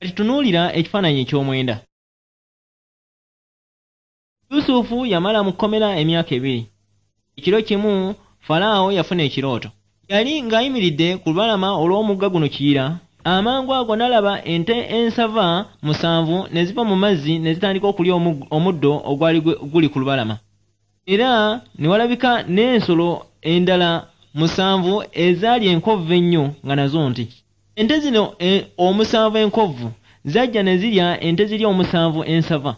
Kati tunuulira ekifaananyi eky'omwenda. Yusufu yamala mu kkomera emyaka 2. Ekiro kimu Falaawo yafuna ekirooto. Yali ng'ayimiridde ku lubalama olw'omugga guno Kiyira. Amangu ago n'alaba ente ensava 7 ne ziva mu mazzi ne zitandika okulya omuddo ogwali guli ku lubalama. Era ne walabika n'ensolo endala 7 ezaali enkovvu ennyo nga nazo nti. Ente zino 7 enkovvu zajja ne zirya ente ziri 7 ensava.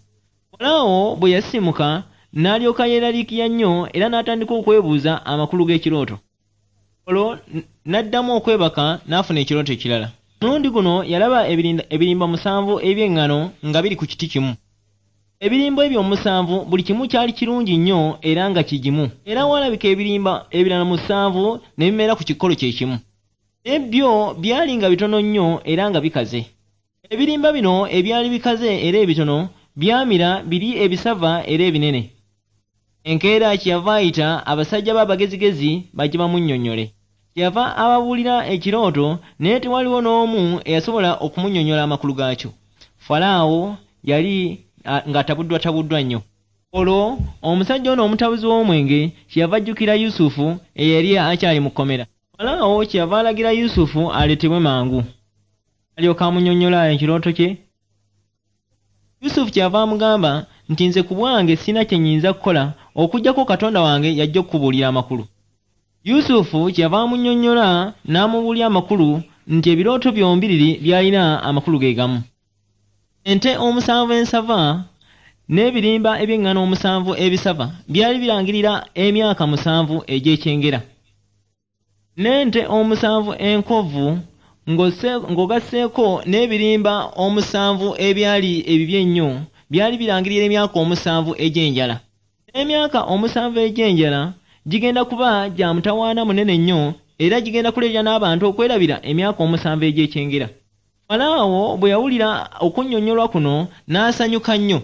Falaawo bwe yasisimuka n'alyoka yeeraliikirira nnyo era n'atandika okwebuuza amakulu g'ekirooto. Olwo n'addamu okwebaka n'afuna ekirooto ekirala. Omulundi guno yalaba ebirimba 7 eby'eŋŋano nga biri ku kiti kimu. Ebirimba ebyo 7 buli kimu kyali kirungi nnyo era nga kigimu. Era walabika ebirimba ebirala 7 ne bimera ku kikolo kye kimu. Ebyo byali nga bitono nnyo era nga bikaze. Ebirimba bino ebyali bikaze era ebitono byamira biri ebisava era ebinene. Enkeera kyeyava ayita abasajja b'abagezigezi bajje bamunnyonnyole. Kyeyava ababuulira ekirooto naye tewaliwo n'omu eyasobola okumunnyonnyola amakulu gaakyo. Falaawo yali ng'atabuddwatabuddwa nnyo. Olwo omusajja ono omutabuzi w'omwenge kyeyava ajjukira Yusufu eyali akyali mu kkomera. Falaawo kyeyava alagira Yusufu aleetebwe mangu. Alyoka amunnyonnyola ekirooto kye. Yusufu kyeyava amugamba nti nze ku bwange sirina kye nnyinza kukola okuggyako Katonda wange yajja okukubuulira amakulu. Yusufu kyeyava amunnyonnyola n'amubuulira amakulu nti ebirooto byombiriri byalina amakulu ge gamu. Ente 7 ensava n'ebirimba eby'eŋŋano 7 ebisava byali birangirira emyaka 7 egy'ekyengera. N'ente 7 enkovvu ng'ogasseeko n'ebirimba 7 ebyali ebibi ennyo byali birangirira emyaka 7 egy'enjala. Emyaka 7 egy'enjala gigenda kuba gya mutawaana munene nnyo era gigenda kuleetera n'abantu okwerabira emyaka 7 egy'ekyengera. Falaawo bwe yawulira okunnyonnyolwa kuno n'asanyuka nnyo.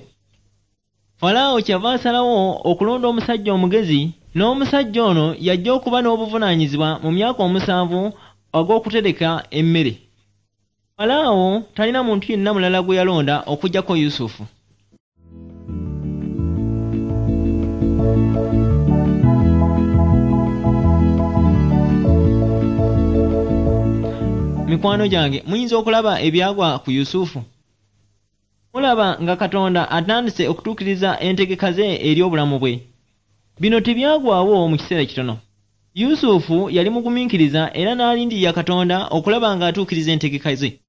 Falaawo kyava asalawo okulonda omusajja omugezi, n'omusajja ono yajja okuba n'obuvunaanyizibwa mu myaka 7 ogw'okutereka emmere. Falaawo talina muntu yenna mulala gwe yalonda okuggyako Yusufu. Mikwano gyange, muyinza okulaba ebyagwa ku Yusufu. Mulaba nga Katonda atandise okutuukiriza entegeka ze eri obulamu bwe. Bino tebyagwawo mu kiseera kitono. Yusufu yali mugumiikiriza era n'alindirira Katonda okulaba ng'atuukiriza entegeka ze.